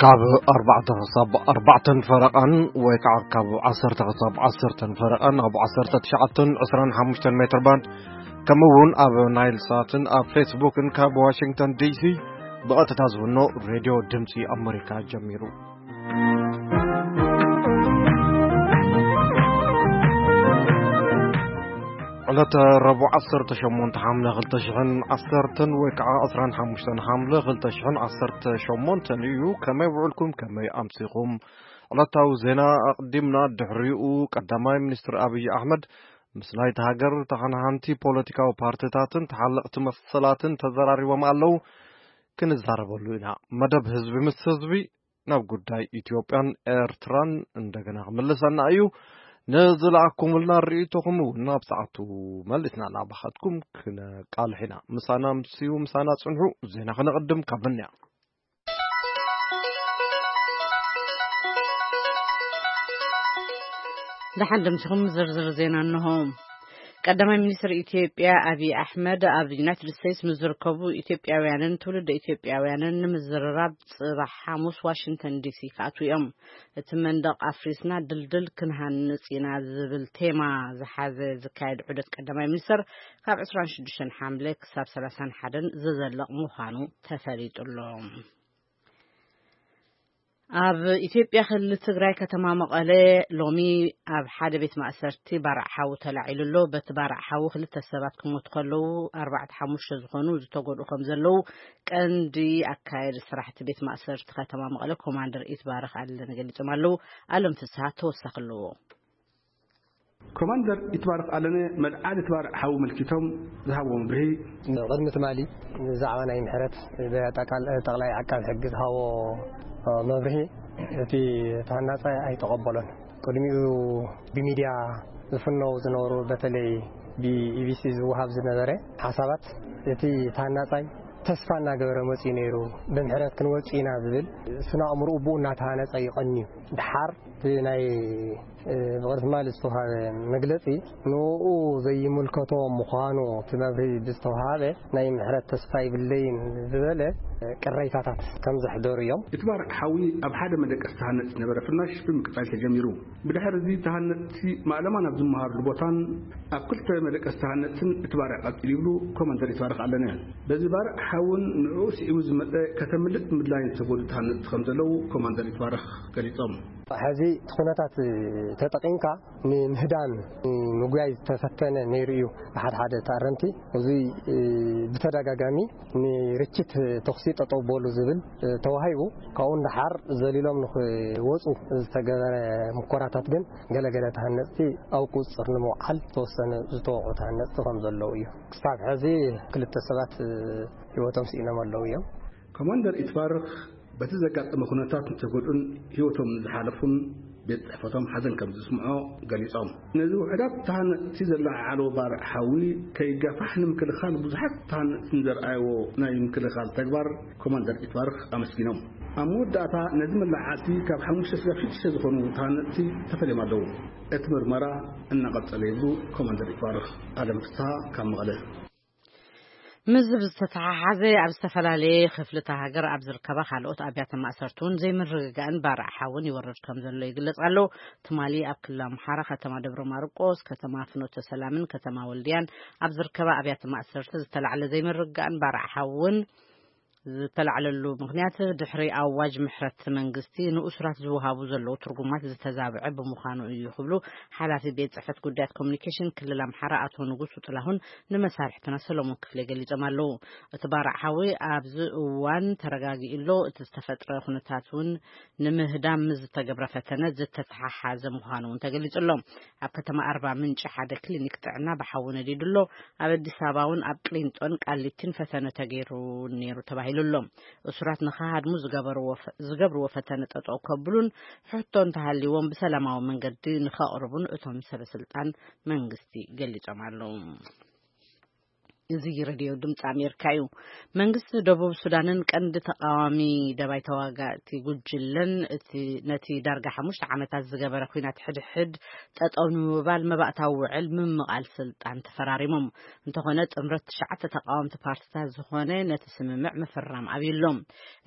ካብ ኣርባዕተ ክሳብ ኣርባዕተን ፈረቓን ወይ ከዓ ካብ ዓሰርተ ክሳብ ዓሰርተን ፈረቓን ኣብ ዓሰርተ ትሽዓተን ዕስራን ሓሙሽተን ሜትር ባንድ፣ ከምኡ እውን ኣብ ናይል ሳትን ኣብ ፌስቡክን ካብ ዋሽንግተን ዲሲ ብቐጥታ ዝፍኖ ሬድዮ ድምፂ ኣመሪካ ጀሚሩ። ዕለተ ረቡዕ ዓሰርተ ሸሞንተ ሓምለ ክልተ ሽሕን ዓሰርተን ወይ ከዓ ዕስራን ሓሙሽተን ሓምለ ክልተ ሽሕን ዓሰርተ ሸሞንተን እዩ። ከመይ ውዕልኩም? ከመይ ኣምሲኹም? ዕለታዊ ዜና ኣቕዲምና። ድሕሪኡ ቀዳማይ ሚኒስትር ኣብይ ኣሕመድ ምስ ናይቲ ሃገር ተኸናኸንቲ ፖለቲካዊ ፓርቲታትን ተሓለቕቲ መሰላትን ተዘራሪቦም ኣለዉ። ክንዛረበሉ ኢና። መደብ ህዝቢ ምስ ህዝቢ ናብ ጉዳይ ኢትዮጵያን ኤርትራን እንደገና ክምልሰና እዩ። ንዝለኣኩምልና ርእይቶኹም እውን ናብ ሰዓቱ መሊስና እናባኸትኩም ክነቃልሕ ኢና። ምሳና ምስዩ፣ ምሳና ጽንሑ። ዜና ክነቕድም ካብ ምንያ። ደሓን ደምሲኹም ዝርዝር ዜና እንሆ። ቀዳማይ ሚኒስትር ኢትዮጵያ ኣብይ ኣሕመድ ኣብ ዩናይትድ ስቴትስ ምስ ዝርከቡ ኢትዮጵያውያንን ትውልደ ኢትዮጵያውያንን ንምዝርራብ ጽባሕ ሓሙስ ዋሽንግተን ዲሲ ክኣትዉ እዮም። እቲ መንደቕ ኣፍሪስና ድልድል ክንሃንጽ ኢና ዝብል ቴማ ዝሓዘ ዝካየድ ዑደት ቀዳማይ ሚኒስትር ካብ ዕስራን ሽዱሽተን ሓምለ ክሳብ ሰላሳን ሓደን ዝዘልቕ ምዃኑ ተፈሊጡ ኣሎ። ኣብ ኢትዮጵያ ክልል ትግራይ ከተማ መቐለ ሎሚ ኣብ ሓደ ቤት ማእሰርቲ ባርዕ ሓዊ ተላዒሉ ኣሎ። በቲ ባርዕ ሓዊ ክልተ ሰባት ክሞቱ ከለዉ ኣርባዕተ ሓሙሽተ ዝኾኑ ዝተጎድኡ ከም ዘለዉ ቀንዲ ኣካየዲ ስራሕቲ ቤት ማእሰርቲ ከተማ መቐለ ኮማንደር ኢትባረክ ኣለነ ገሊጾም ኣለዉ። ኣለም ፍስሃ ተወሳኺ ኣለዎ። ኮማንደር ይትባረክ ኣለነ መልዓሊ እቲ ባርዕ ሓዊ መልኪቶም ዝሃብዎ መብርሂ። ቅድሚ ትማሊ ብዛዕባ ናይ ምሕረት ብጠቃል-፣ ጠቅላይ ዓቃቢ ሕጊ ዝሃቦ መብርሂ እቲ ተሃናጻይ ኣይተቐበሎን። ቅድሚኡ ብሚድያ ዝፍነው ዝነበሩ በተለይ ብኢቢሲ ዝወሃብ ዝነበረ ሓሳባት እቲ ተሃናጻይ ተስፋ እናገበረ መጺኡ ነይሩ፣ ብምሕረት ክንወጽእ ኢና ዝብል ስነ ኣእምሮኡ ብኡ እናተሃነጸ ይቐንዩ። ድሓር እቲ ናይ፣ እ፣ ብቕድሚ ትማሊ ዝተውሃበ መግለጺ ንኡ ዘይምልከቶ ምዃኑ እቲ መብርሂ ብዝተውሃበ ናይ ምሕረት ተስፋ ይብለይን ዝበለ ቅሬታታት ከም ዘሕደሩ እዮም። እቲ ባርዕ ሓዊ ኣብ ሓደ መደቀስ ተሃነጽ ዝነበረ ፍናሽ ብምቅጻል ተጀሚሩ። ብድሕሪ እዚ ተሃነጽቲ ማእለማ ናብ ዝመሃርሉ ቦታን ኣብ ክልተ መደቀስ ተሃነጽትን እቲ ባርዕ ቀጺሉ ይብሉ ኮማንደር ይትባረክ ኣለነ። በዚ ባርዕ ሓውን ንዕኡ ስዒቡ ዝመጸ ከተምልጥ ምድላይን ዝተጎዱ ተሃነጽቲ ከም ዘለዉ ኮማንደር ይትባረክ ገሊጾም። ሕዚ እቲ ኩነታት ተጠቒምካ ንምህዳም ንምጉያይ ዝተፈተነ ነይሩ እዩ። ብሓደ ሓደ ተኣረምቲ እዚ ብተደጋጋሚ ንርችት ተኹሲ ጠጠው በሉ ዝብል ተዋሂቡ፣ ካብኡ ንደሓር ዘሊሎም ንኽወፁ ዝተገበረ ምኮራታት ግን ገለገለ ተሃነፅቲ ኣብ ቁፅፅር ንምውዓል ዝተወሰነ ዝተወቕዑ ተሃነፅቲ ከም ዘለዉ እዩ። ክሳብ ሕዚ ክልተ ሰባት ህይወቶም ስኢኖም ኣለዉ እዮም። ኮማንደር ኢትባርክ በቲ ዘጋጠመ ኩነታት ንተጎድኡን ህይወቶም ንዝሓለፉን ቤት ጽሕፈቶም ሓዘን ከም ዝስምዖ ገሊጾም፣ ነዚ ውሑዳት ተሃነፅቲ ዘለዓዓሎ ባርዕ ሓዊ ከይጋፋሕ ንምክልኻል ብዙሓት ተሃነፅቲ ንዘርኣይዎ ናይ ምክልኻል ተግባር ኮማንደር ኢትባርክ ኣመስጊኖም። ኣብ መወዳእታ ነዚ መለዓዓልቲ ካብ ሓሙሽተ ስጋብ ሽዱሽተ ዝኾኑ ተሃነፅቲ ተፈልዮም ኣለዉ። እቲ ምርመራ እናቐጸለ ይብሉ ኮማንደር ኢትባርክ። ኣለም ፍስሃ ካብ መቐለ። ምስዚ ብዝተተሓሓዘ ኣብ ዝተፈላለየ ክፍልታት ሃገር ኣብ ዝርከባ ካልኦት ኣብያተ ማእሰርቲ እውን ዘይምርግጋእን ባርዕ ሓውን ይወርድ ከም ዘሎ ይግለጽ ኣሎ። ትማሊ ኣብ ክልል ኣምሓራ ከተማ ደብረ ማርቆስ፣ ከተማ ፍኖተ ሰላምን ከተማ ወልድያን ኣብ ዝርከባ ኣብያተ ማእሰርቲ ዝተላዕለ ዘይምርግጋእን ባርዕ ሓውን ዝተላዕለሉ ምኽንያት ድሕሪ ኣዋጅ ምሕረት መንግስቲ ንእሱራት ዝወሃቡ ዘለዉ ትርጉማት ዝተዛብዐ ብምዃኑ እዩ ክብሉ ሓላፊ ቤት ጽሕፈት ጉዳያት ኮሚኒኬሽን ክልል ኣምሓራ ኣቶ ንጉሱ ጥላሁን ንመሳርሕትና ሰሎሞን ክፍሌ ገሊጾም ኣለዉ። እቲ ባርዕ ሓዊ ኣብዚ እዋን ተረጋጊኡ ኣሎ። እቲ ዝተፈጥረ ኩነታት እውን ንምህዳም ምስ ዝተገብረ ፈተነ ዝተተሓሓዘ ምዃኑ እውን ተገሊጹ ኣሎ። ኣብ ከተማ ኣርባ ምንጭ ሓደ ክሊኒክ ጥዕና ብሓዊ ነዲዱ ኣሎ። ኣብ ኣዲስ ኣበባ እውን ኣብ ቅሊንጦን ቃሊቲን ፈተነ ተገይሩ ነይሩ ተባሂሉ ኣሎ። እሱራት ንኸሃድሙ ዝገበርዎ ፈ-፣ ዝገብርዎ ፈተነ ጠጠው ከብሉን ሕቶ እንተሃልይዎም ብሰላማዊ መንገዲ ንኸቕርቡን እቶም ሰበ ስልጣን መንግስቲ ገሊጾም ኣለዉ። እዚ ሬድዮ ድምፂ ኣሜሪካ እዩ። መንግስቲ ደቡብ ሱዳንን ቀንዲ ተቃዋሚ ደባይ ተዋጋእቲ ጉጅለን እቲ ነቲ ዳርጋ ሓሙሽተ ዓመታት ዝገበረ ኩናት ሕድሕድ ጠጠው ንምባል መባእታዊ ውዕል ምምቓል ስልጣን ተፈራሪሞም። እንተኾነ ጥምረት ትሽዓተ ተቃወምቲ ፓርቲታት ዝኾነ ነቲ ስምምዕ ምፍራም ኣብዩሎም።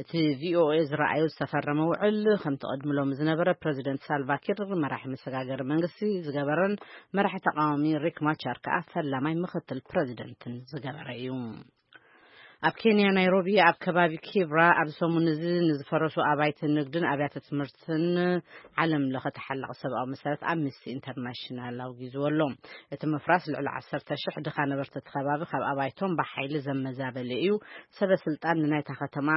እቲ ቪኦኤ ዝረኣዩ ዝተፈረመ ውዕል ከምቲ ቀድምሎም ዝነበረ ፕረዚደንት ሳልቫኪር መራሒ መሰጋገሪ መንግስቲ ዝገበረን መራሒ ተቃዋሚ ሪክ ማቻር ከኣ ፈላማይ ምክትል ፕረዚደንትን ዝገበረ እዩ። ኣብ ኬንያ ናይሮቢ ኣብ ከባቢ ኪብራ ኣብ ሰሙን እዚ ንዝፈረሱ ኣባይቲ ንግድን ኣብያተ ትምህርትን ዓለም ለኸ ተሓላቒ ሰብኣዊ መሰላት ኣምነስቲ ኢንተርናሽናል ኣውጊዝዎ ኣሎ። እቲ ምፍራስ ልዕሊ ዓሰርተ ሽሕ ድኻ ነበርቲ እቲ ከባቢ ካብ ኣባይቶም ብሓይሊ ዘመዛበለ እዩ። ሰበ ስልጣን ንናይታ ከተማ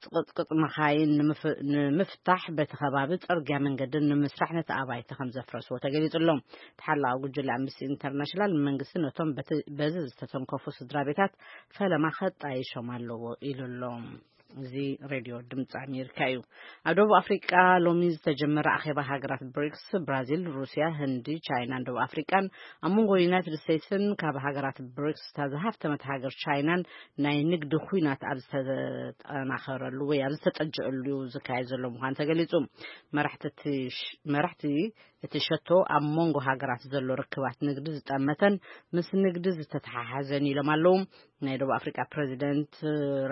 ጽቕጥቅጥ መኻይን ንምፍ- ንምፍታሕ በቲ ከባቢ ጽርግያ መንገድን ንምስራሕ ነቲ ኣባይቲ ከም ዘፍረስዎ ተገሊጹ ኣሎ። ተሓላቒ ጉጅለ ኣምነስቲ ኢንተርናሽናል መንግስቲ ነቶም በቲ- በዚ ዝተተንከፉ ስድራ ቤታት ፈለማ ከጣይሾም ኣለዎ ኢሉ ኣሎ። እዚ ሬድዮ ድምፂ ኣሜሪካ እዩ። ኣብ ደቡብ ኣፍሪቃ ሎሚ ዝተጀመረ ኣኼባ ሃገራት ብሪክስ፣ ብራዚል፣ ሩስያ፣ ህንዲ፣ ቻይናን ደቡብ ኣፍሪቃን፣ ኣብ መንጎ ዩናይትድ ስቴትስን ካብ ሃገራት ብሪክስ እታ ዝሃፍተመት ሃገር ቻይናን ናይ ንግዲ ኩናት ኣብ ዝተጠናኸረሉ ወይ ኣብ ዝተጠጀአሉ ዝካየድ ዘሎ ምዃኑ ተገሊጹ። መራሕቲ እቲ ሽ- መራሕቲ እቲ ሸቶ ኣብ መንጎ ሃገራት ዘሎ ርክባት ንግዲ ዝጠመተን ምስ ንግዲ ዝተተሓሓዘን ኢሎም ኣለዉ። ናይ ደቡብ ኣፍሪቃ ፕረዚደንት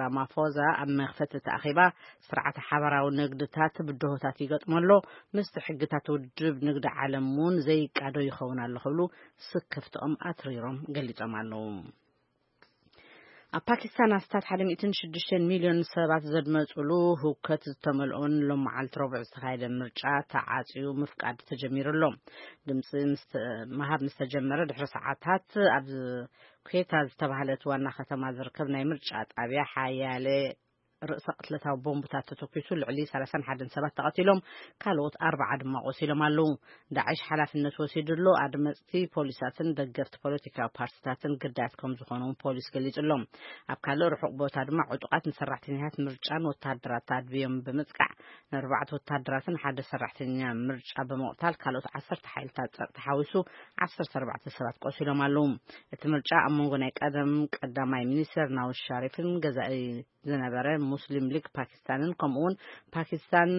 ራማፎዛ ኣብ መኽፈቲ እቲ ኣኼባ፣ ስርዓተ ሓባራዊ ንግድታት ብድሆታት ይገጥሞ ኣሎ፣ ምስቲ ሕግታት ውድብ ንግዲ ዓለም እውን ዘይቃዶ ይኸውን ኣሎ ክብሉ ስክፍትኦም ኣትሪሮም ገሊጾም ኣለዉ። ኣብ ፓኪስታን ኣስታት ሓደ ሚእትን ሽዱሽተን ሚልዮን ሰባት ዘድመጹሉ ህውከት ዝተመልኦን ሎም መዓልቲ ረቡዕ ዝተኻየደ ምርጫ ተዓጽዩ ምፍቃድ ተጀሚሩ ኣሎ። ድምፂ ምስ- ምሃብ ምስ ተጀመረ ድሕሪ ሰዓታት ኣብ ኩዌታ ዝተባህለት ዋና ከተማ ዝርከብ ናይ ምርጫ ጣብያ ሓያለ ርእሰ ቅትለታዊ ቦምብታት ተተኲሱ ልዕሊ ሰላሳን ሓደን ሰባት ተቐቲሎም፣ ካልኦት ኣርባዓ ድማ ቆሲሎም ኣለዉ። ዳዕሽ ሓላፍነት ወሲዱ ኣሎ። ኣድመፅቲ ፖሊሳትን ደገፍቲ ፖለቲካዊ ፓርቲታትን ግዳያት ከም ዝኾኑ እውን ፖሊስ ገሊጹ ኣሎ። ኣብ ካልእ ርሑቕ ቦታ ድማ ዕጡቓት ንሰራሕተኛታት ምርጫን ወተሃደራት ኣድብዮም ብምጥቃዕ ንኣርባዕተ ወተሃደራትን ሓደ ሰራሕተኛ ምርጫ ብምቕታል ካልኦት ዓሰርተ ሓይልታት ጸጥታ ሓዊሱ ዓሰርተ ኣርባዕተ ሰባት ቆሲሎም ኣለዉ። እቲ ምርጫ ኣብ መንጎ ናይ ቀደም ቀዳማይ ሚኒስተር ናዋዝ ሸሪፍን ገዛኢ ዝነበረ ሙስሊም ሊግ ፓኪስታንን ከምኡውን ፓኪስታን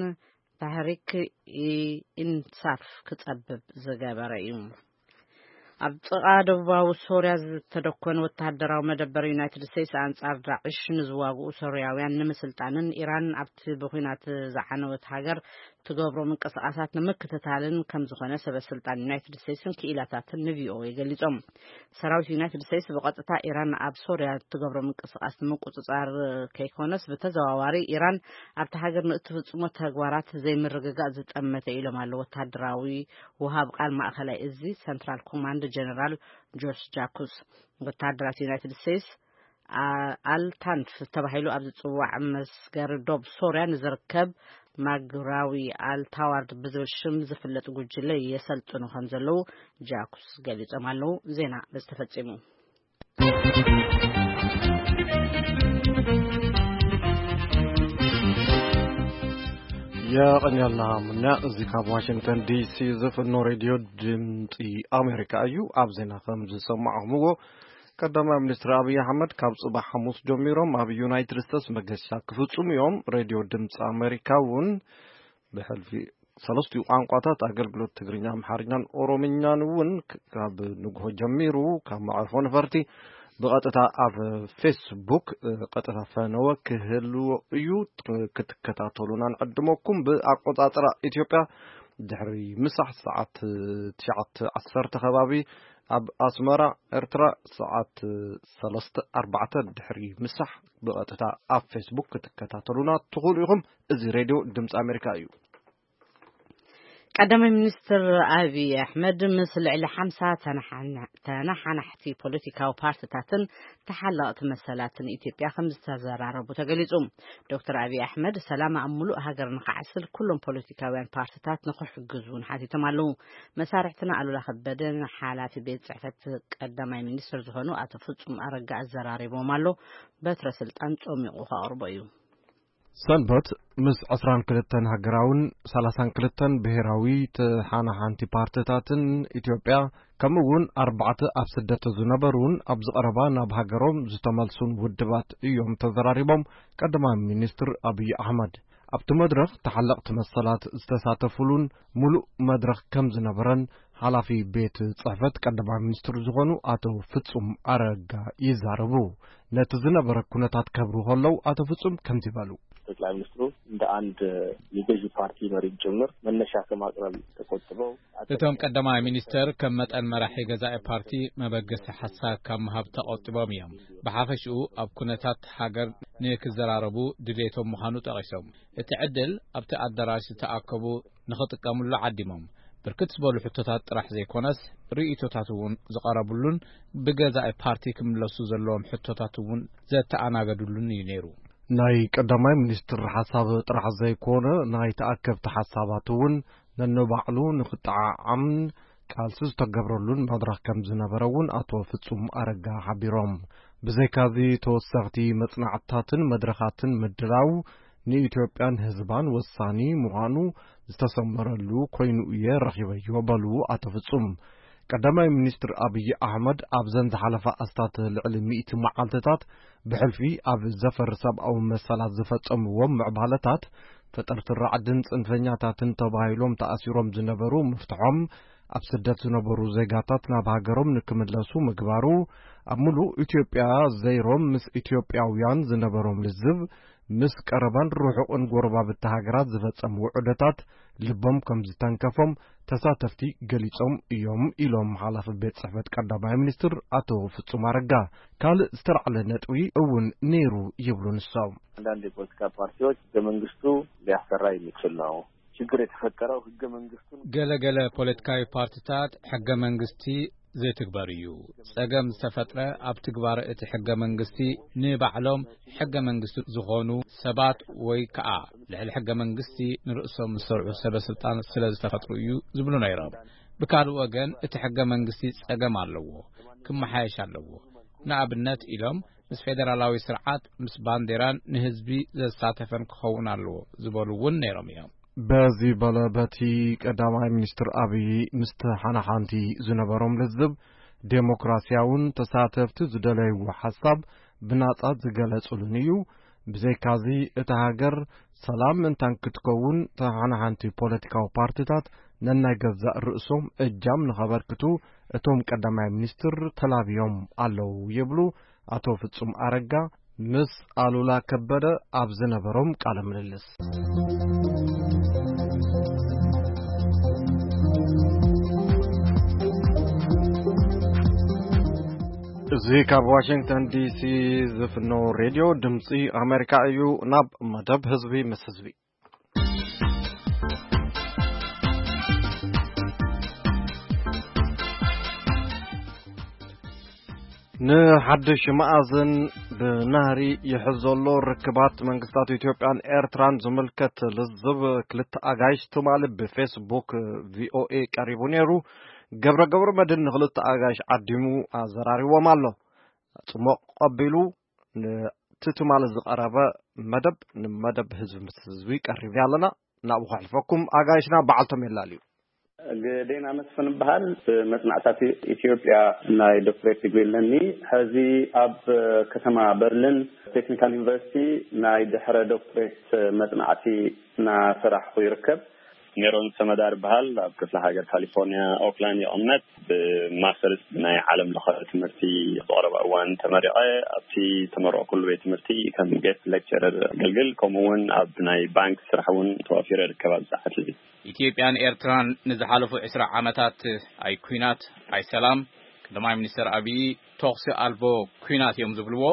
ታህሪክ ኢ ኢንሳፍ ክጸብብ ዝገበረ እዩ። ኣብ ጥቓ ደቡባዊ ሶርያ ዝተደኮነ ወተሃደራዊ መደበር ዩናይትድ ስቴትስ ኣንጻር ዳዕሽ ንዝዋግኡ ሶርያውያን ንምስልጣንን ኢራን ኣብቲ ብኹናት ዝዓነወት ሃገር ትገብሮ ምንቅስቓሳት ንምክትታልን ከም ዝኾነ ሰበ ስልጣን ዩናይትድ ስቴትስን ክኢላታትን ንቪኦኤ ገሊጾም። ሰራዊት ዩናይትድ ስቴትስ ብቐጥታ ኢራን ኣብ ሶርያ እትገብሮ ምንቅስቓስ ንምቁጽጻር ከይኮነስ ብተዘዋዋሪ ኢራን ኣብቲ ሃገር ንእትፍጽሞ ተግባራት ዘይምርግጋእ ዝጠመተ ኢሎም ኣለዉ ወተሃደራዊ ወሃብ ቃል ማእኸላይ እዚ ሰንትራል ኮማንድ ጀነራል ጆርጅ ጃኩስ። ወተሃደራት ዩናይትድ ስቴትስ ኣ- ኣልታንፍ ተባሂሉ ኣብ ዝጽዋዕ መስገሪ ዶብ ሶርያ ንዝርከብ ማግራዊ ኣልታዋርድ ብዝብል ሽም ዝፍለጥ ጉጅለ የሰልጥኑ ከም ዘለዉ ጃኩስ ገሊጾም ኣለዉ። ዜና በዚ ተፈጺሙ። የቐንየልና ሙና። እዚ ካብ ዋሽንግተን ዲሲ ዝፍኖ ሬድዮ ድምፂ ኣሜሪካ እዩ። ኣብ ዜና ከም ዝሰማዕኹምዎ ቀዳማይ ሚኒስትር ኣብይ ኣሕመድ ካብ ጽባሕ ሓሙስ ጀሚሮም ኣብ ዩናይትድ ስቴትስ መገሻ ክፍጽሙ እዮም። ሬድዮ ድምፂ ኣሜሪካ እውን ብሕልፊ ሰለስቲኡ ቋንቋታት ኣገልግሎት ትግርኛ፣ ኣምሓርኛን ኦሮምኛን እውን ክ- ካብ ንግሆ ጀሚሩ ካብ መዕርፎ ነፈርቲ ብቐጥታ ኣብ ፌስቡክ እ፣ ቀጥታ ፈነወ ክህልዎ እዩ። ክትከታተሉና ንዕድመኩም። ብኣቆጻጽራ ኢትዮጵያ ድሕሪ ምሳሕ ሰዓት ትሽዓተ ዓሰርተ ከባቢ፣ ኣብ ኣስመራ ኤርትራ ሰዓት ሰለስተ ኣርባዕተ ድሕሪ ምሳሕ ብቐጥታ ኣብ ፌስቡክ ክትከታተሉና ትኽእሉ ኢኹም። እዚ ሬድዮ ድምፂ ኣሜሪካ እዩ። ቀዳማይ ሚኒስትር ኣብይ ኣሕመድ ምስ ልዕሊ ሓምሳ ተነሓና- ተነሓናሕቲ ፖለቲካዊ ፓርቲታትን ተሓለቕቲ መሰላትን ኢትዮጵያ ከም ዝተዘራረቡ ተገሊጹ። ዶክተር ኣብይ ኣሕመድ ሰላም ኣብ ሙሉእ ሃገር ንኽዓስል ኩሎም ፖለቲካውያን ፓርቲታት ንኽሕግዙ እውን ሓቲቶም ኣለዉ። መሳርሕትና ኣሉላ ከበደ ንሓላፊ ቤት ጽሕፈት ቀዳማይ ሚኒስትር ዝኾኑ ኣቶ ፍጹም ኣረጋ ኣዘራሪቦም ኣሎ። በትረ ስልጣን ጾሚቑ ከቕርቦ እዩ። ሰንበት ምስ ዕስራን ክልተን ሃገራውን ሰላሳን ክልተን ብሄራዊ ተሓናሓንቲ ፓርትታትን ኢትዮጵያ፣ ከምኡ እውን ኣርባዕተ ኣብ ስደት ዝነበሩን ኣብዚ ቀረባ ናብ ሃገሮም ዝተመልሱን ውድባት እዮም ተዘራሪቦም። ቀዳማይ ሚኒስትር ኣብይ ኣሕመድ ኣብቲ መድረኽ ተሓለቕቲ መሰላት ዝተሳተፉሉን ምሉእ መድረኽ ከም ዝነበረን ሓላፊ ቤት ጽሕፈት ቀዳማይ ሚኒስትር ዝኾኑ ኣቶ ፍጹም ኣረጋ ይዛረቡ። ነቲ ዝነበረ ኩነታት ከብሩ ከለዉ ኣቶ ፍጹም ከምዚ በሉ። ጠቅላይ ሚኒስትሩ እንደ አንድ የገዢ ፓርቲ መሪም ጭምር መነሻ ከማቅረብ ተቆጥበው እቶም ቀዳማይ ሚኒስተር ከም መጠን መራሒ ገዛኢ ፓርቲ መበገሲ ሓሳብ ካብ ምሃብ ተቆጢቦም እዮም። ብሓፈሽኡ ኣብ ኩነታት ሃገር ንክዘራረቡ ድሌቶም ምዃኑ ጠቒሶም፣ እቲ ዕድል ኣብቲ ኣዳራሽ ዝተኣከቡ ንኽጥቀምሉ ዓዲሞም። ብርክት ዝበሉ ሕቶታት ጥራሕ ዘይኮነስ ርእይቶታት እውን ዝቐረብሉን ብገዛኢ ፓርቲ ክምለሱ ዘለዎም ሕቶታት እውን ዘተኣናገድሉን እዩ ነይሩ። ናይ ቀዳማይ ሚኒስትር ሓሳብ ጥራሕ ዘይኮነ፣ ናይ ተኣከብቲ ሓሳባት እውን ነንባዕሉ ንኽጠዓዓምን ቃልሲ ዝተገብረሉን መድረኽ ከም ዝነበረ እውን ኣቶ ፍጹም ኣረጋ ሓቢሮም። ብዘይካዚ ተወሰኽቲ መጽናዕትታትን መድረኻትን ምድላው ንኢትዮጵያን ህዝባን ወሳኒ ምዃኑ ዝተሰመረሉ ኮይኑ እየ ረኺበዮ በሉ ኣቶ ፍጹም። ቀዳማይ ሚኒስትር ኣብይ ኣሕመድ ኣብዘን ዝሓለፋ ኣስታት ልዕሊ ሚእቲ መዓልትታት ብሕልፊ ኣብ ዘፈር ሰብኣዊ መሰላት ዝፈጸምዎም ምዕባለታት፣ ተጠርጥር ራዕድን ጽንፈኛታትን ተባሂሎም ተኣሲሮም ዝነበሩ ምፍትሖም፣ ኣብ ስደት ዝነበሩ ዜጋታት ናብ ሃገሮም ንክምለሱ ምግባሩ፣ ኣብ ምሉእ ኢትዮጵያ ዘይሮም ምስ ኢትዮጵያውያን ዝነበሮም ልዝብ፣ ምስ ቀረባን ርሑቕን ጎረባብቲ ሃገራት ዝፈጸሙ ውዕደታት ልቦም ከም ዝተንከፎም ተሳተፍቲ ገሊጾም እዮም ኢሎም ሓላፊ ቤት ጽሕፈት ቀዳማይ ሚኒስትር ኣቶ ፍጹም ኣረጋ። ካልእ ዝተላዕለ ነጥቢ እውን ነይሩ ይብሉ ንሶም። አንዳንድ የፖለቲካ ፓርቲዎች ህገ መንግስቱ ሊያሰራ የሚችል ነው። ችግር የተፈጠረው ህገ መንግስቱን ገለገለ ፖለቲካዊ ፓርቲታት ሕገ መንግስቲ ዘይትግበር እዩ። ጸገም ዝተፈጥረ ኣብ ትግባረ እቲ ሕገ መንግስቲ ንባዕሎም ሕገ መንግስቲ ዝኾኑ ሰባት ወይ ከኣ ልዕሊ ሕገ መንግስቲ ንርእሶም ዝሰርዑ ሰበ ስልጣን ስለ ዝተፈጥሩ እዩ ዝብሉ ነይሮም። ብካልእ ወገን እቲ ሕገ መንግስቲ ጸገም ኣለዎ፣ ክመሓየሽ ኣለዎ። ንኣብነት ኢሎም ምስ ፌደራላዊ ስርዓት፣ ምስ ባንዴራን ንህዝቢ ዘሳተፈን ክኸውን ኣለዎ ዝበሉ እውን ነይሮም እዮም። በዚ በለ በቲ ቀዳማይ ሚኒስትር ኣብይ ምስ ተሓናሓንቲ ዝነበሮም ልዝብ ዴሞክራሲያውን ተሳተፍቲ ዝደለይዎ ሓሳብ ብናጻ ዝገለጹሉን እዩ። ብዘይካዚ እታ ሃገር ሰላም ምእንታን ክትከውን ተሓናሓንቲ ፖለቲካዊ ፓርቲታት ነናይ ገዛእ ርእሶም እጃም ንኸበርክቱ እቶም ቀዳማይ ሚኒስትር ተላብዮም ኣለዉ ይብሉ ኣቶ ፍጹም ኣረጋ ምስ ኣሉላ ከበደ ኣብ ዝነበሮም ቃለ ምልልስ። እዚ ካብ ዋሽንግተን ዲሲ ዝፍኖ ሬድዮ ድምፂ ኣሜሪካ እዩ። ናብ መደብ ህዝቢ ምስ ህዝቢ። ንሓድሽ መኣዝን ብናህሪ ይሕዝ ዘሎ ርክባት መንግስታት ኢትዮጵያን ኤርትራን ዝምልከት ልዝብ ክልተ ኣጋይሽ ትማሊ ብፌስቡክ ቪኦኤ ቀሪቡ ነይሩ። ገብረ ገብረ መድህን ንክልተ ኣጋይሽ ዓዲሙ ኣዘራሪዎም ኣሎ። ጽሞቕ ቀቢሉ ነቲ ትማሊ ዝቐረበ መደብ ንመደብ ህዝቢ ምስ ህዝቢ ቀሪብና ኣለና። ናብኡ ከሕልፈኩም ኣጋይሽና በዓልቶም የላልዩ። ግዴና መስፍን እበሃል። ብመጽናዕታት ኢትዮጵያ ናይ ዶክትሬት ዲግሪ ኣለኒ። ሕዚ ኣብ ከተማ በርሊን ቴክኒካል ዩኒቨርሲቲ ናይ ድሕረ ዶክትሬት መጽናዕቲ እናሰራሕኹ ይርከብ። ሜሮን ሰመዳር ይበሃል። ኣብ ክፍለ ሃገር ካሊፎርኒያ ኦክላንድ ይቕመጥ። ብማስተርስ ናይ ዓለም ለኸ ትምህርቲ ዝቐረበ እዋን ተመሪቐ። ኣብቲ ተመረቕኩሉ ቤት ትምህርቲ ከም ጌስት ሌክቸረር ኣገልግል፣ ከምኡ እውን ኣብ ናይ ባንክ ስራሕ እውን ተዋፊረ ይርከብ ኣብዚ ሰዓት እዚ። ኢትዮጵያን ኤርትራን ንዝሓለፉ ዕስራ ዓመታት ኣይ ኲናት ኣይ ሰላም፣ ቀዳማይ ሚኒስተር ኣብዪ፣ ተኹሲ ኣልቦ ኲናት እዮም ዝብልዎ።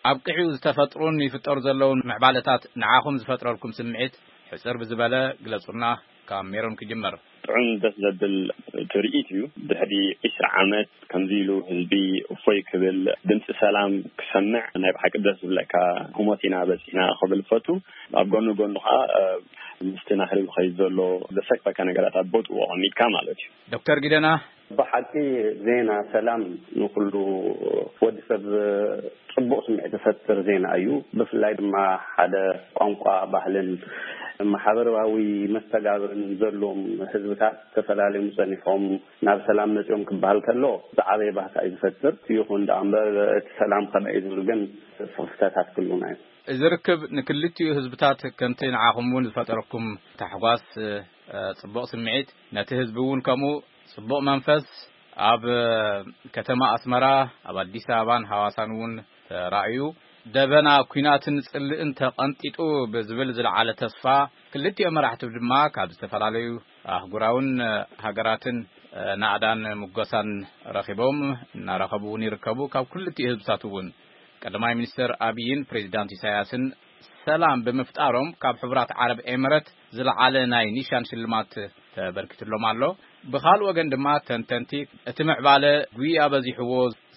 ኣብቂዑ ዝተፈጥሩን ይፍጠሩ ዘለውን ምዕባለታት ንዓኹም ዝፈጥረልኩም ስምዒት ሕጽር ብዝበለ ግለጹልና። ካብ ሜሮን ክጅመር። ጥዑም ደስ ዘብል ትርኢት እዩ። ድሕሪ ዕስራ ዓመት ከምዚ ኢሉ ህዝቢ እፎይ ክብል፣ ድምፂ ሰላም ክሰምዕ ናይ ብሓቂ ደስ ዝብለካ ህሞት ኢና በፂሕና ክብል ፈቱ። ኣብ ጎኑ ጎኑ ከዓ ምስቲ ናህሪ ዝኸይድ ዘሎ ዘሰክፈካ ነገራት ኣብ ቦትኡ ኣቐሚጥካ ማለት እዩ። ዶክተር ጊደና፣ ብሓቂ ዜና ሰላም ንኩሉ ወዲ ሰብ ጽቡቕ ስምዒት ዝፈጥር ዜና እዩ። ብፍላይ ድማ ሓደ ቋንቋ፣ ባህልን ማሕበራዊ መስተጋብርን ዘለዎም ህዝብታት ተፈላለዮም ጸኒሖም ናብ ሰላም መጺኦም ክበሃል ከሎ ዝዓበየ ባህታ እዩ ዝፈጥር። ይኹን ደኣ እምበር እቲ ሰላም ከመይ እዩ ዝብል ግን ስኽፍታታት ክህልውና እዮም። እዚ ርክብ ንክልቲኡ ህዝብታት ከምቲ ንዓኹም እውን ዝፈጠረኩም ታሕጓስ፣ እ፣ ጽቡቕ ስምዒት፣ ነቲ ህዝቢ እውን ከምኡ ጽቡቕ መንፈስ ኣብ ከተማ ኣስመራ፣ ኣብ ኣዲስ ኣበባን ሃዋሳን እውን ተራእዩ። ደበና ኲናትን ጽልእን ተቐንጢጡ ብዝብል ዝለዓለ ተስፋ፣ ክልቲኦም መራሕቲ ድማ ካብ ዝተፈላለዩ ኣህጉራውን ሃገራትን ናእዳን ምጎሳን ረኺቦም እናረኸቡ እውን ይርከቡ። ካብ ክልቲኡ ህዝብታት እውን ቀዳማይ ሚኒስትር ኣብይን ፕሬዚዳንት ኢሳያስን ሰላም ብምፍጣሮም ካብ ሕቡራት ዓረብ ኤምረት ዝለዓለ ናይ ኒሻን ሽልማት ተበርኪትሎም ኣሎ። ብኻልእ ወገን ድማ ተንተንቲ እቲ ምዕባለ ጉያ በዚሕዎ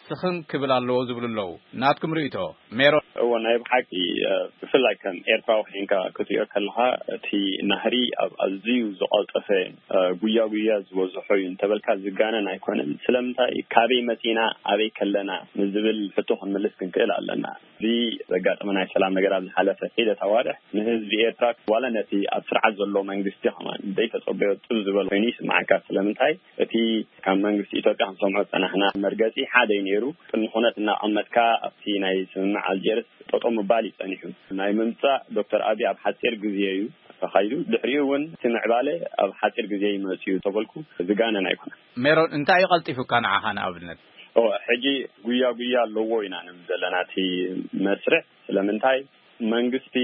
ስኽን ክብል ኣለዎ ዝብሉ ኣለዉ። ናትኩም ርእይቶ ሜሮን? እዎ፣ ናይ ብሓቂ፣ እ፣ ብፍላይ ከም ኤርትራዊ ኮይንካ ክትሪኦ ከለኻ እቲ ናህሪ ኣብ ኣዝዩ ዝቐልጠፈ፣ እ፣ ጉያ ጉያ ዝበዝሖ እዩ እንተበልካ ዝጋነን ኣይኮነን። ስለምንታይ ካበይ መጺና ኣበይ ከለና ንዝብል ሕቶ ክንምልስ ክንክእል ኣለና። እዚ ዘጋጠመ ናይ ሰላም ነገር ኣብ ዝሓለፈ ሒደት ኣዋርሕ ንህዝቢ ኤርትራ ዋላ ነቲ ኣብ ስርዓት ዘሎ መንግስቲ ከማን ዘይተጸበዮ ጥብ ዝበለ ኮይኑ ይስምዓካ። ስለምንታይ እቲ ካብ መንግስቲ ኢትዮጵያ ክንሰምዖ ዝጸናሕና መርገጺ ሓደ እዩ ነይሩ። ቅድሚ ኩነት እናቐመጥካ ኣብቲ ናይ ስምምዕ ኣልጀርስ ጠጠው ምባል እዩ ጸኒሑ። ናይ ምምጻእ ዶክተር ኣብይ ኣብ ሓጺር ግዜ እዩ ተኻይዱ። ድሕሪኡ እውን እቲ ምዕባለ ኣብ ሓጺር ግዜ ይመጽእ እዩ ተበልኩ ዝጋነን ኣይኮነን። ሜሮን፣ እንታይ እዩ ቀልጢፉካ ንዓኻ ንኣብነት? ኦ፣ ሕጂ ጉያ ጉያ ኣለዎ ኢና ንብል ዘለና እቲ መስርሕ። ስለምንታይ መንግስቲ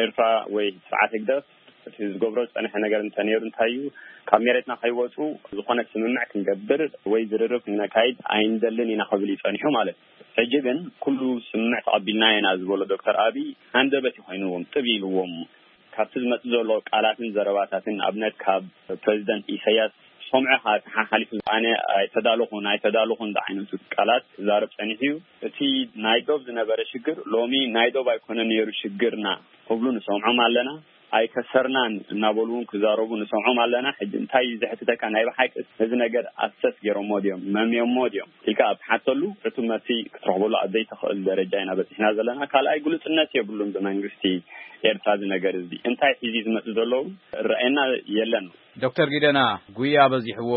ኤርትራ ወይ ስርዓት ህግደፍ እቲ ዝገብሮ ዝጸንሐ ነገር እንተነይሩ እንታይ እዩ፣ ካብ መሬትና ከይወጹ ዝኾነ ስምምዕ ክንገብር ወይ ዝርርብ ክነካይድ ኣይንደልን ኢና ክብል እዩ ጸኒሑ ማለት እዩ። ሕጂ ግን ኩሉ ስምምዕ ተቐቢልና ኢና ዝበሎ ዶክተር ኣብይ ሃንደበት እዩ ኮይንዎም፣ ጥብ ኢልዎም። ካብቲ ዝመጽእ ዘሎ ቃላትን ዘረባታትን ንኣብነት ካብ ፕሬዚደንት ኢሳያስ ሰምዑ ካብ ሓሓሊፉ ኣነ ኣይተዳለኹን ኣይተዳለኹን ዝዓይነቱ ቃላት ክዛረብ ጸኒሑ እዩ። እቲ ናይ ዶብ ዝነበረ ሽግር ሎሚ ናይ ዶብ ኣይኮነ ነይሩ ሽግርና ክብሉ ንሰምዖም ኣለና። ኣይከሰርናን እናበሉ እውን ክዛረቡ ንሰምዖም ኣለና። ሕጂ እንታይ እዩ ዘሕትተካ? ናይ ብሓቂ እዚ ነገር ኣሰስ ገይሮሞ ድዮም መምዮሞ ድዮም ኢልካ ኣብ ትሓተሉ ሕቱ መሲ ክትረኽበሉ ኣብ ዘይትኽእል ደረጃ ኢና በፂሕና ዘለና። ካልኣይ ግሉፅነት የብሉን ብመንግስቲ ኤርትራ እዚ ነገር እዚ እንታይ ሒዙ ዝመፅእ ዘለዉ ረኣየና የለን። ዶክተር ጊደና፣ ጉያ በዚሕዎ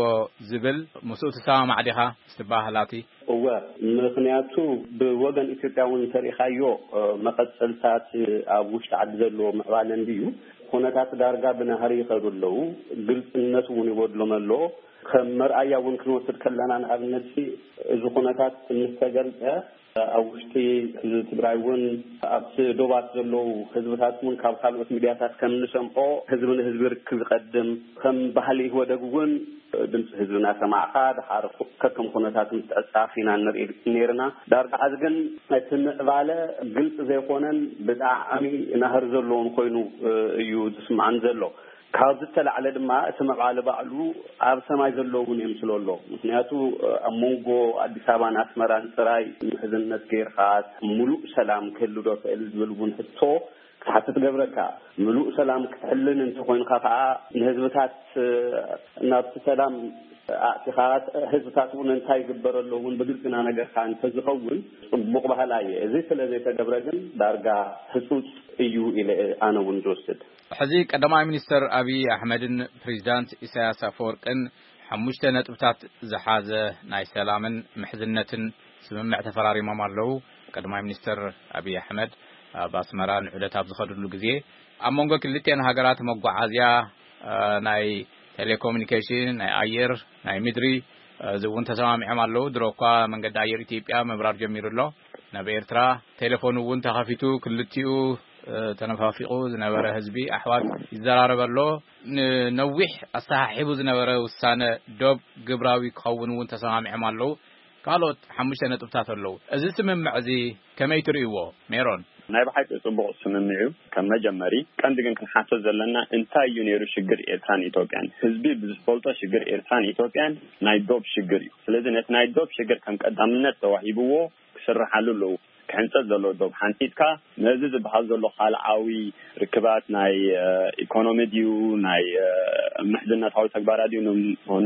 ዝብል ምስኡ ትሰማማዕ ዲኻ? ምስቲ ባህላቲ እወ፣ ምኽንያቱ ብወገን ኢትዮጵያ እውን እንተሪእኻዮ፣ እ፣ መቐጸልታት ኣብ ውሽጢ ዓዲ ዘለዎ ምዕባለ እንድዩ። ኩነታት ዳርጋ ብናህሪ ይኸዱ ኣለዉ። ግልጽነት እውን ይጎድሎም ኣሎ። ከም መርኣያ እውን ክንወስድ ከለና፣ ንኣብነት እዚ ኩነታት ምስ ተገልጸ፣ ኣብ ውሽጢ ህዝቢ ትግራይ እውን ኣብቲ ዶባት ዘለዉ ህዝብታት እውን ካብ ካልኦት ሚድያታት ከም እንሰምዖ ህዝቢ ንህዝቢ ርክብ ይቐድም። ከም ባህሊ ኢህወደግ እውን ድምፂ ህዝቢ እናሰማዕካ ድሓር ከከም ኩነታት ምትዕፃፍ ኢና ንርኢ ነይርና። ዳርጋ ሕዚ ግን እቲ ምዕባለ ግልፂ ዘይኮነን ብጣዕሚ ናህሪ ዘለዎን ኮይኑ እዩ ዝስምዓን ዘሎ። ካብ ዝተላዕለ ድማ እቲ ምዕባለ ባዕሉ ኣብ ሰማይ ዘሎ እውን የምስሎ ኣሎ። ምክንያቱ ኣብ መንጎ ኣዲስ ኣበባን ኣስመራን ጥራይ ምሕዝነት ገይርካ ምሉእ ሰላም ክህሉ ዶ ክእል ዝብል እውን ሕቶ ክትሓትት ገብረካ። ምሉእ ሰላም ክትሕልን እንተኮይንካ ከዓ ንህዝብታት ናብቲ ሰላም ኣእቲኻ ህዝብታት እውን እንታይ ይግበረሎ እውን ብግልፂ እናነገርካ እንተዝኸውን ፅቡቕ ባህላ እየ። እዚ ስለ ዘይተገብረ ግን ዳርጋ ህፁፅ እዩ ኢለ ኣነ እውን ዝወስድ። ሕዚ ቀዳማይ ሚኒስተር ኣብይ ኣሕመድን ፕሬዚዳንት ኢሳያስ ኣፈወርቅን ሓሙሽተ ነጥብታት ዝሓዘ ናይ ሰላምን ምሕዝነትን ስምምዕ ተፈራሪሞም ኣለዉ። ቀዳማይ ሚኒስተር ኣብይ ኣሕመድ ኣብ ኣስመራ ንዑደት ኣብ ዝኸድሉ ግዜ ኣብ መንጎ ክልቲኤን ሃገራት መጓዓዝያ፣ እ፣ ናይ ቴሌኮሙኒኬሽን፣ ናይ ኣየር፣ ናይ ምድሪ፣ እ፣ እዚ እውን ተሰማሚዖም ኣለዉ። ድሮ እኳ መንገዲ ኣየር ኢትዮጵያ ምብራር ጀሚሩ ኣሎ ናብ ኤርትራ። ቴሌፎን እውን ተኸፊቱ ክልቲኡ፣ እ፣ ተነፋፊቑ ዝነበረ ህዝቢ ኣሕዋት ይዘራረብ ኣሎ። ንነዊሕ ኣሰሓሒቡ ዝነበረ ውሳነ ዶብ ግብራዊ ክኸውን እውን ተሰማሚዖም ኣለዉ። ካልኦት ሓሙሽተ ነጥብታት ኣለዉ። እዚ ስምምዕ እዚ ከመይ ትርእይዎ ሜሮን? ናይ ብሓቂ ጽቡቕ ስምምዕ እዩ። ከም መጀመሪ ቀንዲ ግን ክንሓቶ ዘለና እንታይ እዩ ነይሩ ሽግር ኤርትራን ኢትዮጵያን? ህዝቢ ብዝፈልጦ ሽግር ኤርትራን ኢትዮጵያን ናይ ዶብ ሽግር እዩ። ስለዚ ነቲ ናይ ዶብ ሽግር ከም ቀዳምነት ተዋሂብዎ ክስርሓሉ ኣለዎ። ሕንጸት ዘሎ ዶብ ሓንጺጥካ፣ ነዚ ዝበሃል ዘሎ ካልዓዊ ርክባት ናይ ኢኮኖሚ ድዩ ናይ ምሕዝነታዊ ተግባራት ድዩ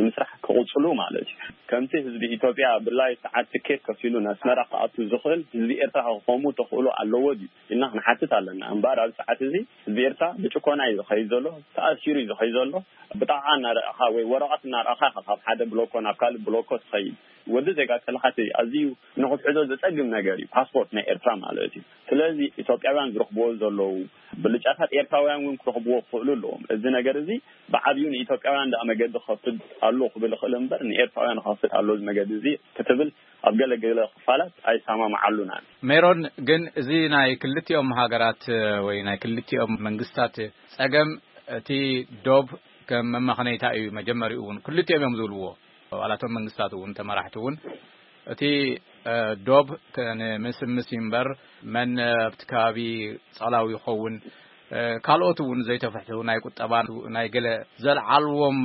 ንምስራሕ ክቕጽሉ ማለት እዩ። ከምቲ ህዝቢ ኢትዮጵያ ብላይ ሰዓት ትኬት ከፊሉ ንኣስመራ ክኣቱ ዝኽእል፣ ህዝቢ ኤርትራ ክኸሙ ተኽእሎ ኣለዎ ድዩ ኢልና ክንሓትት ኣለና። እምበኣር ኣብ ሰዓት እዚ ህዝቢ ኤርትራ ብጭኮና እዩ ዝኸይድ ዘሎ፣ ተኣሲሩ እዩ ዝኸይድ ዘሎ። ብጣቕዓ እናረኣኻ ወይ ወረቐት እናረኣኻ ኢኻ ካብ ሓደ ብሎኮ ናብ ካልእ ብሎኮ ትኸይድ። ወዲ ዜጋ ከለኻ እቲ ኣዝዩ ንኽትሕዞ ዘጸግም ነገር እዩ ፓስፖርት ናይ ኤርትራ ማለት እዩ። ስለዚ ኢትዮጵያውያን ዝረኽብዎ ዘለዉ ብልጫታት ኤርትራውያን እውን ክረኽብዎ ክኽእሉ ኣለዎም። እዚ ነገር እዚ ብዓብዩ ንኢትዮጵያውያን ደኣ መገዲ ክኸፍት ኣሎ ክብል እኽእል እምበር ንኤርትራውያን ክኸፍት ኣሎ እዚ መገዲ እዚ ክትብል ኣብ ገለ ገለ ክፋላት ኣይሰማምዓሉናን። ሜሮን፣ ግን እዚ ናይ ክልቲኦም ሃገራት ወይ ናይ ክልቲኦም መንግስታት ጸገም እቲ ዶብ ከም መመኸነይታ እዩ። መጀመሪኡ እውን ክልቲኦም እዮም ዝብልዎ፣ ኣባላቶም መንግስታት እውን ተመራሕቲ እውን እቲ ዶብ ንምስምስ እምበር መን ኣብቲ ከባቢ ጸላዊ ይኸውን፣ ካልኦት እውን ዘይተፍሕቱ ናይ ቁጠባ ናይ ገለ ዘልዓልዎም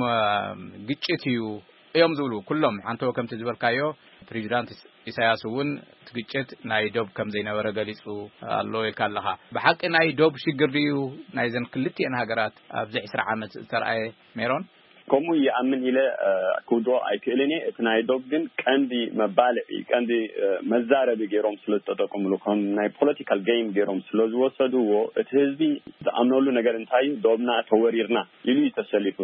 ግጭት እዩ እዮም ዝብሉ። ኩሎም ሓንቶ ከምቲ ዝበልካዮ ፕሬዚዳንት ኢሳያስ እውን እቲ ግጭት ናይ ዶብ ከም ዘይነበረ ገሊጹ ኣሎ ኢልካ ኣለኻ። ብሓቂ ናይ ዶብ ሽግር ድዩ ናይዘን ክልቲኤን ሃገራት ኣብዚ ዕስራ ዓመት ዝተረኣየ? ሜሮን፣ ከምኡ ይኣምን ኢለ ክውድኦ ኣይክእልን እየ። እቲ ናይ ዶብ ግን ቀንዲ መባልዒ፣ ቀንዲ መዛረቢ ገይሮም ስለ ዝተጠቀምሉ፣ ከም ናይ ፖለቲካል ጌም ገይሮም ስለ ዝወሰድዎ፣ እቲ ህዝቢ ዝኣምነሉ ነገር እንታይ እዩ? ዶብና ተወሪርና ኢሉ እዩ ተሰሊፉ።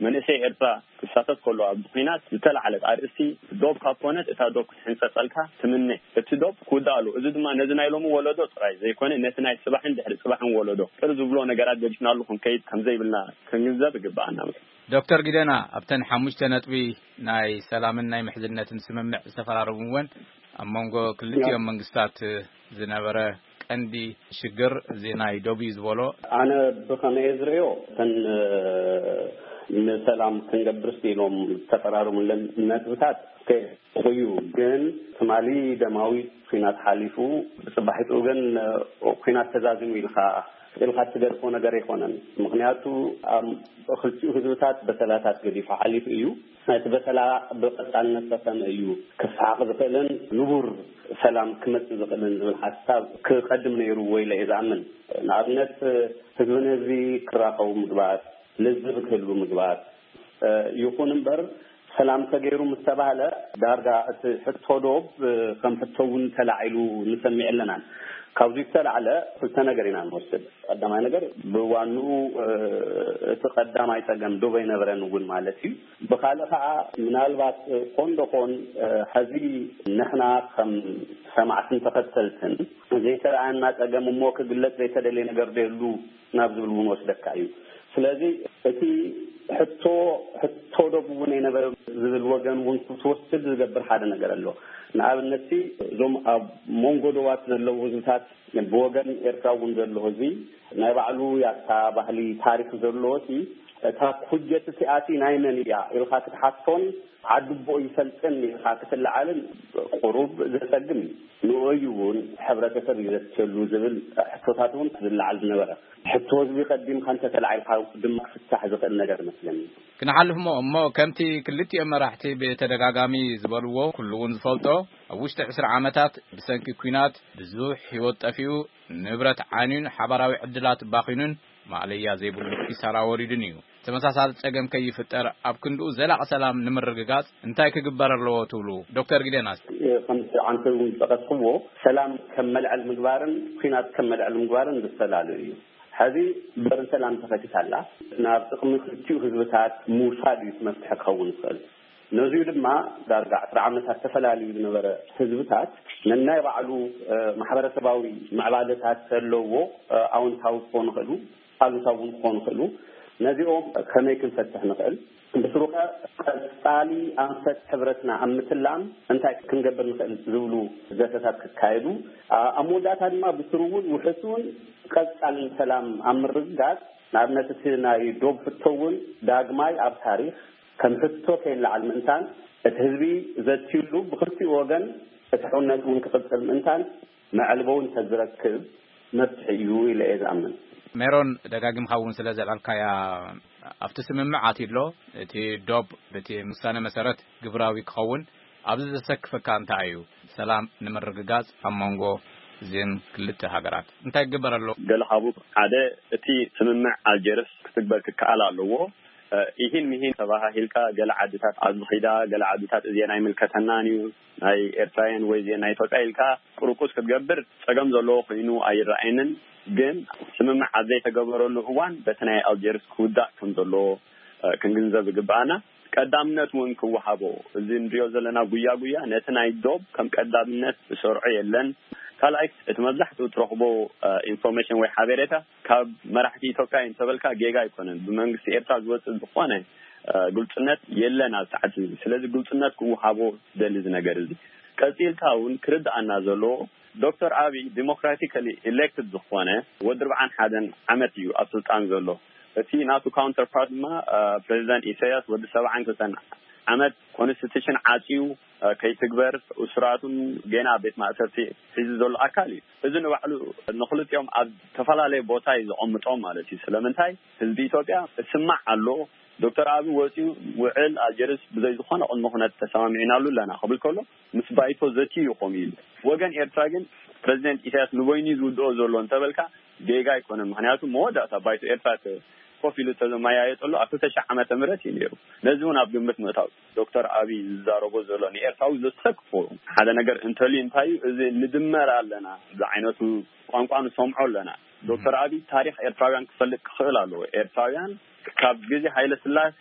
መንእሰይ ኤርትራ ክሳተፍ ከሎ ኣብ ኲናት ዝተላዕለት ኣርእስቲ ዶብ ካብ ኮነት እታ ዶብ ክትሕንጸጸልካ ትምነ። እቲ ዶብ ክውዳእ ኣለዎ። እዚ ድማ ነዚ ናይ ሎሚ ወለዶ ጥራይ ዘይኮነ ነቲ ናይ ጽባሕን ድሕሪ ጽባሕን ወለዶ ቅር ዝብሎ ነገራት ገዲፍናሉ ክንከይድ ከም ዘይብልና ክንግንዘብ ይግብኣና። ዶክተር ጊደና፣ ኣብተን ሓሙሽተ ነጥቢ ናይ ሰላምን ናይ ምሕዝነትን ስምምዕ ዝተፈራረሙ እውን ኣብ መንጎ ክልቲኦም መንግስታት ዝነበረ ቀንዲ ሽግር እዚ ናይ ዶብ እዩ ዝበሎ። ኣነ ብኸመይ ዝርእዮ፣ እተን ንሰላም ክንገብር ኢሎም ዝተፈራረሙለን ነጥብታት እዩ። ግን ትማሊ ደማዊ ኲናት ሓሊፉ፣ ብጽባሒቱ ግን ኲናት ተዛዚሙ ኢልካ ኢልካ ትገድፎ ነገር ኣይኮነን። ምኽንያቱ ኣብ ክልቲኡ ህዝብታት በሰላታት ገዲፉ ሓሊፉ እዩ። እቲ በሰላ ብቐጻልነት ከ ከመይ እዩ ክሰሓቕ ዝኽእልን ንቡር ሰላም ክመጽእ ዝኽእልን ዝብል ሓሳብ ክቐድም ነይሩ ወይ ኢለ እየ ዝኣምን። ንኣብነት ህዝቢ ንህዝቢ ክራኸቡ ምግባር፣ ልዝብ ክህሉ ምግባር፣ ይኹን እምበር ሰላም ተገይሩ ምስ ተባህለ ዳርጋ እቲ ሕቶ ዶብ ከም ሕቶ እውን ተላዒሉ ንሰምዕ ኣለናን። ካብዚ ዝተላዕለ ክልተ ነገር ኢና ንወስድ። ቀዳማይ ነገር ብዋንኡ እቲ ቀዳማይ ጸገም ዶብ ኣይነበረን እውን ማለት እዩ። ብኻልእ ከዓ ምናልባት ኮን ዶኾን ሕዚ ንሕና ከም ሰማዕትን ተኸተልትን ዘይተረኣየና ጸገም እሞ ክግለጽ ዘይተደልየ ነገር ዶ የሉ ናብ ዝብል እውን ወስደካ እዩ። ስለዚ እቲ ሕቶ ሕቶ ዶብ እውን ኣይነበረ ዝብል ወገን እውን ክትወስድ ዝገብር ሓደ ነገር ኣሎ። ንኣብነት እዞም ኣብ መንጎ ዶባት ዘለዉ ህዝብታት ብወገን ኤርትራ እውን ዘሎ ህዝቢ ናይ ባዕሉ ያታ ባህሊ ታሪክ ዘለዎ ሲ እታ ኩጀት እቲኣቲ ናይ መን እያ ኢልካ ክትሓቶን ዓዲ ቦ ይፈልጥን ኢልካ ክትለዓልን ቁሩብ ዘጸግም እዩ። ንኡ እዩ እውን ሕብረተሰብ እዩ ዘትሸሉ ዝብል ሕቶታት እውን ዝለዓል ዝነበረ። ሕቶ ህዝቢ ቀዲምካ እንተተላዒልካ ድማ ክፍታሕ ዝኽእል ነገር መስለኒ። ክንሓልፍ እሞ እሞ ከምቲ ክልቲኦም መራሕቲ ብተደጋጋሚ ዝበልዎ ኩሉ እውን ዝፈልጦ ኣብ ውሽጢ ዕስራ ዓመታት ብሰንኪ ኲናት ብዙሕ ህይወት ጠፊኡ፣ ንብረት ዓንዩን ሓባራዊ ዕድላት ባኺኑን ማእለያ ዘይብሉ ኪሳራ ወሪዱን እዩ። ተመሳሳሊ ጸገም ከይፍጠር ኣብ ክንድኡ ዘላቒ ሰላም ንምርግጋጽ እንታይ ክግበር ኣለዎ ትብሉ ዶክተር ጊደናስ? ከምቲ ዓንተ እውን ዝጠቐስክዎ ሰላም ከም መልዐል ምግባርን ኲናት ከም መልዐል ምግባርን ዝተፈላለዩ እዩ። ሕዚ በሪ ሰላም ተኸፊታ ኣላ። ናብ ጥቕሚ ክልቲኡ ህዝብታት ምውሳድ እዩ እቲ መፍትሒ ክኸውን ዝኽእል። ነዚኡ ድማ ዳርጋ ዕስራ ዓመታት ተፈላልዩ ዝነበረ ህዝብታት ነናይ ባዕሉ ማሕበረሰባዊ ምዕባለታት ዘለዎ ኣውንታዊ ክኾኑ ይኽእሉ፣ ኣሉታዊ እውን ክኾኑ ይኽእሉ። ነዚኦም ከመይ ክንፈትሕ ንኽእል? ብስሩኸ ቀጻሊ ኣንፈት ሕብረትና ኣብ ምትላም እንታይ ክንገብር ንኽእል ዝብሉ ዘተታት ክካየዱ፣ ኣብ መወዳእታ ድማ ብስሩ እውን ውሕስን ቀጻልን ሰላም ኣብ ምርግጋጽ፣ ንኣብነት እቲ ናይ ዶብ ሕቶ እውን ዳግማይ ኣብ ታሪኽ ከም ሕቶ ከይለዓል ምእንታን እቲ ህዝቢ ዘትዩሉ ብኽልቲኡ ወገን እቲ ሕውነት እውን ክቕጽል ምእንታን መዕልቦ እውን ተዝረክብ መፍትሒ እዩ ኢለ እየ ዝኣምን። ሜሮን፣ ደጋጊምካ እውን ስለ ዘልዓልካያ ኣብቲ ስምምዕ ኣትዩ ኣሎ። እቲ ዶብ በቲ ውሳነ መሰረት ግብራዊ ክኸውን ኣብዚ ዘሰክፈካ እንታይ እዩ? ሰላም ንምርግጋጽ ኣብ መንጎ እዚን ክልተ ሃገራት እንታይ ይግበር ኣሎ? ገለ ካብኡ ሓደ፣ እቲ ስምምዕ ኣልጀርስ ክትግበር ክከኣል ኣለዎ። እ፣ ኢሂን ሚሂን ተባሃሂልካ፣ ገለ ዓድታት ኣብዚ ኺዳ፣ ገለ ዓድታት እዚአን ኣይምልከተናን እዩ፣ ናይ ኤርትራውያን ወይ እዚአን ናይ ኢትዮጵያ ኢልካ ቁርቁስ ክትገብር ጸገም ዘለዎ ኮይኑ ኣይረኣየንን። ግን ስምምዕ ኣብ ዘይተገበረሉ እዋን በቲ ናይ ኣልጀርስ ክውዳእ ከም ዘለዎ፣ እ፣ ክንግንዘብ ይግብኣና። ቀዳምነት እውን ክወሃቦ፣ እዚ ንሪኦ ዘለና ጉያ ጉያ ነቲ ናይ ዶብ ከም ቀዳምነት ዝሰርዖ የለን። ካልኣይ፣ እቲ መብዛሕትኡ ትረኽቦ፣ እ፣ ኢንፎርሜሽን ወይ ሓበሬታ ካብ መራሕቲ ኢትዮጵያ እዩ እንተበልካ ጌጋ ኣይኮነን። ብመንግስቲ ኤርትራ ዝወፅእ ዝኾነ፣ እ፣ ግልፅነት የለን ኣብ ሰዓት እዚ። ስለዚ ግልፅነት ክወሃቦ ዝደሊ እዚ ነገር እዚ። ቀፂልካ እውን ክርድኣና ዘለዎ፣ ዶክተር ኣብይ ዲሞክራቲካሊ ኢሌክትድ ዝኾነ ወዲ ኣርብዓን ሓደን ዓመት እዩ ኣብ ስልጣን ዘሎ። እቲ ናቱ ካውንተር ፓርት ድማ፣ እ፣ ፕሬዚደንት ኢሳያስ ወዲ ሰብዓን ክልተን ዓመት ኮንስቲቱሽን ዓፅዩ፣ እ፣ ከይትግበር፣ እሱራቱን ጌና ኣብ ቤት ማእሰርቲ ሒዙ ዘሎ ኣካል እዩ። እዚ ንባዕሉ ንክልቲኦም ኣብ ዝተፈላለየ ቦታ እዩ ዘቐምጦም ማለት እዩ። ስለምንታይ? ህዝቢ ኢትዮጵያ እስማዕ ኣሎ። ዶክተር ኣብይ ወፂኡ ውዕል ኣልጀርስ ብዘይ ዝኾነ ቅድመ ኩነት ተሰማሚዕናሉ ኣለና ክብል ከሎ፣ ምስ ባይቶ ዘትዩ እዩ ኮም ኢሉ። ወገን ኤርትራ ግን ፕሬዚደንት ኢሳያስ ንበይኑ እዩ ዝውድኦ ዘሎ እንተበልካ ጌጋ ኣይኮነን። ምክንያቱ መወዳእታ ባይቶ ኤርትራ ተ-፣ ኮፍ ኢሉ ተዘመያየጠሉ ኣብ ክልተ ሺሕ ዓመተ ምህረት እዩ ነይሩ። ነዚ እውን ኣብ ግምት ምእታው፣ ዶክተር ኣብይ ዝዛረቦ ዘሎ ንኤርትራዊ ዘሰክፎ ሓደ ነገር እንተልዩ እንታይ እዩ? እዚ ንድመር ኣለና፣ እዚ ዓይነቱ ቋንቋ ንሰምዖ ኣለና። ዶክተር ኣብይ ታሪኽ ኤርትራውያን ክፈልጥ ክኽእል ኣለዎ። ኤርትራውያን ካብ ግዜ ሃይለ ስላሴ፣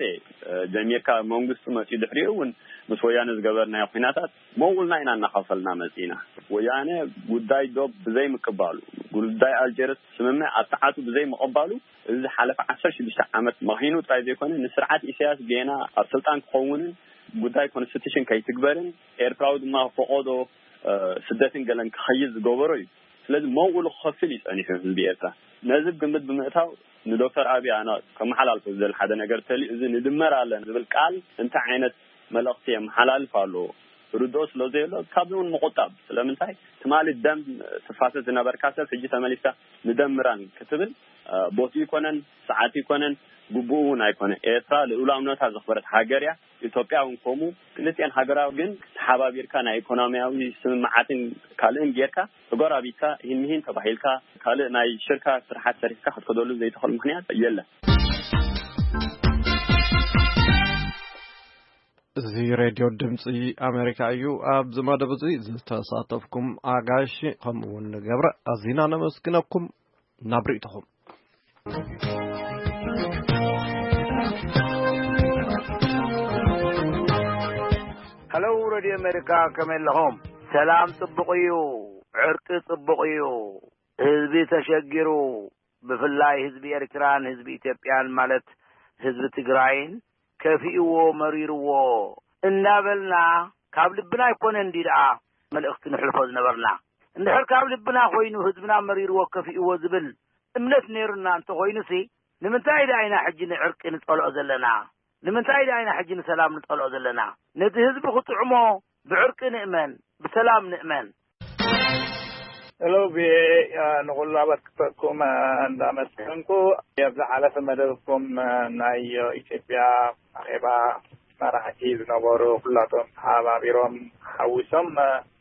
እ፣ ጀሚርካ መንግስቱ መፂኡ ድሕሪኡ እውን ምስ ወያነ ዝገበርናዮ ኩናታት መውልና ኢና እናኸፈልና መፂና። ወያነ ጉዳይ ዶብ ብዘይምቅባሉ፣ ጉዳይ ኣልጀርስ ስምምዕ ኣብ ሰዓቱ ብዘይምቕባሉ፣ እዚ ዝሓለፈ ዓሰርተ ሽዱሽተ ዓመት መኺኑ ጥራይ ዘይኮነ፣ ንስርዓት ኢሳያስ ጌና ኣብ ስልጣን ክኸውንን ጉዳይ ኮንስቲቱሽን ከይትግበርን ኤርትራዊ ድማ ፈቐዶ፣ እ፣ ስደትን ገለን ክኸይድ ዝገበሮ እዩ። ስለዚ መውኡ ክኸፍል እዩ ጸኒሑ ህዝቢ ኤርትራ። ነዚ ግምት ብምእታው ንዶክተር ኣብይ ኣነ ከመሓላልፎ ዝደሊ ሓደ ነገር ተልዩ፣ እዚ ንድመር ኣለን ዝብል ቃል እንታይ ዓይነት መልእኽቲ የመሓላልፍ ኣሎ? ርድኦ ስለ ዘየሎ ካብዚ እውን ምቑጣብ። ስለምንታይ? ትማሊ ደም ትፋሰስ ዝነበርካ ሰብ ሕጂ ተመሊስካ ንደምራን ክትብል፣ እ፣ ቦትኡ ይኮነን፣ ሰዓቱ ይኮነን፣ ግቡኡ እውን ኣይኮነን። ኤርትራ ልኡላውነታ ዘኽበረት ሃገር እያ። ኢትዮጵያ እውን ከምኡ። ክልቲአን ሃገራዊ ግን ተሓባቢርካ ናይ ኢኮኖሚያዊ ስምምዓትን ካልእን ጌርካ ተጎራቢትካ፣ ሂን ምሂን ተባሂልካ፣ ካልእ ናይ ሽርካ ስርሓት ሰሪሕካ ክትከደሉ ዘይትኽእል ምኽንያት የለን። እዚ ሬድዮ ድምፂ ኣሜሪካ እዩ። ኣብዚ መደብ እዚ ዝተሳተፍኩም ኣጋይሽ ከምኡ እውን ገብረ ኣዚና ነመስግነኩም። ናብ ርእይቶኹም። ሄሎ ሬድዮ ኣሜሪካ፣ ከመይ ኣለኹም? ሰላም ጽቡቕ እዩ፣ ዕርቂ ጽቡቕ እዩ። ህዝቢ ተሸጊሩ፣ ብፍላይ ህዝቢ ኤርትራን ህዝቢ ኢትዮጵያን፣ ማለት ህዝቢ ትግራይን ከፊእዎ መሪርዎ እንዳበልና፣ ካብ ልብና ኣይኮነ እንዲ ደኣ መልእኽቲ ንሕልፎ ዝነበርና። እንድሕር ካብ ልብና ኮይኑ ህዝብና መሪርዎ ከፊእዎ ዝብል እምነት ነይሩና እንተኾይኑሲ፣ ንምንታይ ደኣ ኢና ሕጂ ንዕርቂ ንጸልኦ ዘለና? ንምንታይ ደኣ ኢና ሕጂ ንሰላም ንጸልኦ ዘለና? ነቲ ህዝቢ ክጥዕሞ ብዕርቂ ንእመን፣ ብሰላም ንእመን። ሄሎ ቪኦኤ፣ ንኹሉ ኣባል ክፈኩም እንዳመስገንኩ፣ ኣብ ዝሓለፈ መደብኩም ናይ ኢትዮጵያ ኣኼባ መራሕቲ ዝነበሩ ኩላቶም ተሓባቢሮም ሓዊሶም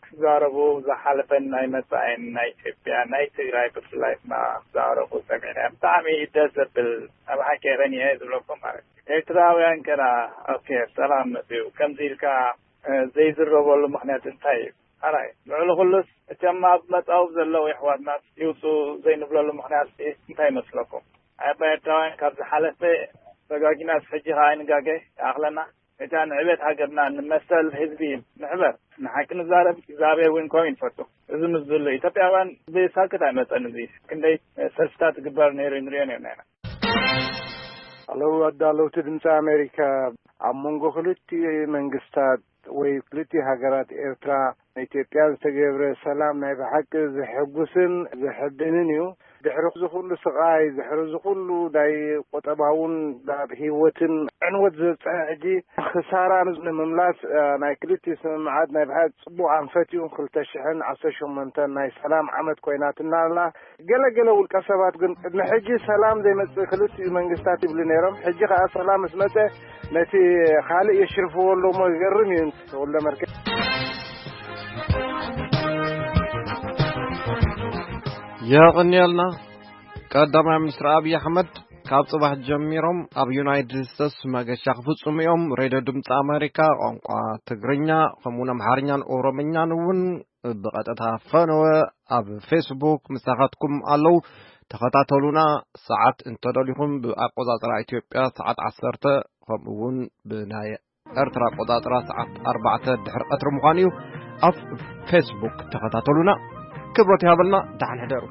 ክዛረቡ፣ ዝሓለፈን ናይ መጻኢን ናይ ኢትዮጵያ ናይ ትግራይ ብፍላይ ድማ ክዛረቡ ሰሚዕና። ብጣዕሚ ደስ ዘብል፣ ኣብ ሓቂ ቀኒዐ ዝብለኩም ማለት እዩ። ኤርትራውያን ከና ኦኬ ሰላም መጽኡ ከምዚ ኢልካ ዘይዝረበሉ ምኽንያት እንታይ እዩ? ኣራይ ልዕሊ ኩሉስ እቶም ኣብ መጻውብ ዘለዉ የሕዋትና ይውጹ ዘይንብለሉ ምኽንያት እንታይ ይመስለኩም? ኣባ ኤርትራውያን ካብ ዝሓለፈ ተጋጊናስ ሕጂ ከኣ ኣይንጋገ ይኣኽለና። እታ ንዕቤት ሃገርና ንመሰል ህዝቢ ንሕበር። ንሓቂ ንዛረብ እግዚኣብሔር እውን ከምኡ እዩ ዝፈቱ። እዚ ምስ ዝህሉ ኢትዮጵያውያን ብሳክት ኣይመጸን። እዚ ክንደይ ሰልፍታት ዝግበር ነይሩ ንሪኦ ነርና ኢና። ኣለዉ ኣዳለውቲ ድምፂ ኣሜሪካ፣ ኣብ መንጎ ክልቲኡ መንግስታት ወይ ክልቲኡ ሃገራት ኤርትራ ኢትዮጵያ ዝተገብረ ሰላም ናይ ብሓቂ ዘሐጉስን ዘሐብንን እዩ። ድሕሪ እዚ ኩሉ ስቓይ፣ ድሕሪ እዚ ኩሉ ናይ ቁጠባውን ናብ ህይወትን ዕንወት ዝበፅሐ ሕጂ ክሳራ ንምምላስ ናይ ክልቲኡ ስምምዓት ናይ ብሓቂ ፅቡቕ ኣንፈት እዩ። ክልተ ሽሕን ዓሰርተ ሸሞንተን ናይ ሰላም ዓመት ኮይናትና ኣላ። ገለ ገለ ውልቀ ሰባት ግን ቅድሚ ሕጂ ሰላም ዘይመጽእ ክልቲኡ መንግስታት ይብሉ ነይሮም። ሕጂ ከኣ ሰላም ምስ መጸ ነቲ ካልእ የሽርፍዎ ኣለዎ እሞ ይገርም እዩ። ተወልደ መርኬ የቕንየልና። ቀዳማይ ሚኒስትር ኣብይ ኣሕመድ ካብ ጽባሕ ጀሚሮም ኣብ ዩናይትድ ስቴትስ መገሻ ክፍጽሙ እዮም። ሬድዮ ድምፂ ኣሜሪካ ቋንቋ ትግርኛ ከምኡውን ኣምሓርኛን ኦሮምኛን እውን ብቐጥታ ፈነወ ኣብ ፌስቡክ ምሳኻትኩም ኣለዉ። ተኸታተሉና። ሰዓት እንተደሊኹም ብኣቆጻጽራ ኢትዮጵያ ሰዓት ዓሰርተ ከምኡውን ብናይ ኤርትራ ኣቆጻጽራ ሰዓት ኣርባዕተ ድሕሪ ቀትሪ ምዃኑ እዩ። ኣብ ፌስቡክ ተኸታተሉና። ክብረት ይሃበልና። ደሓን ሕደሩ።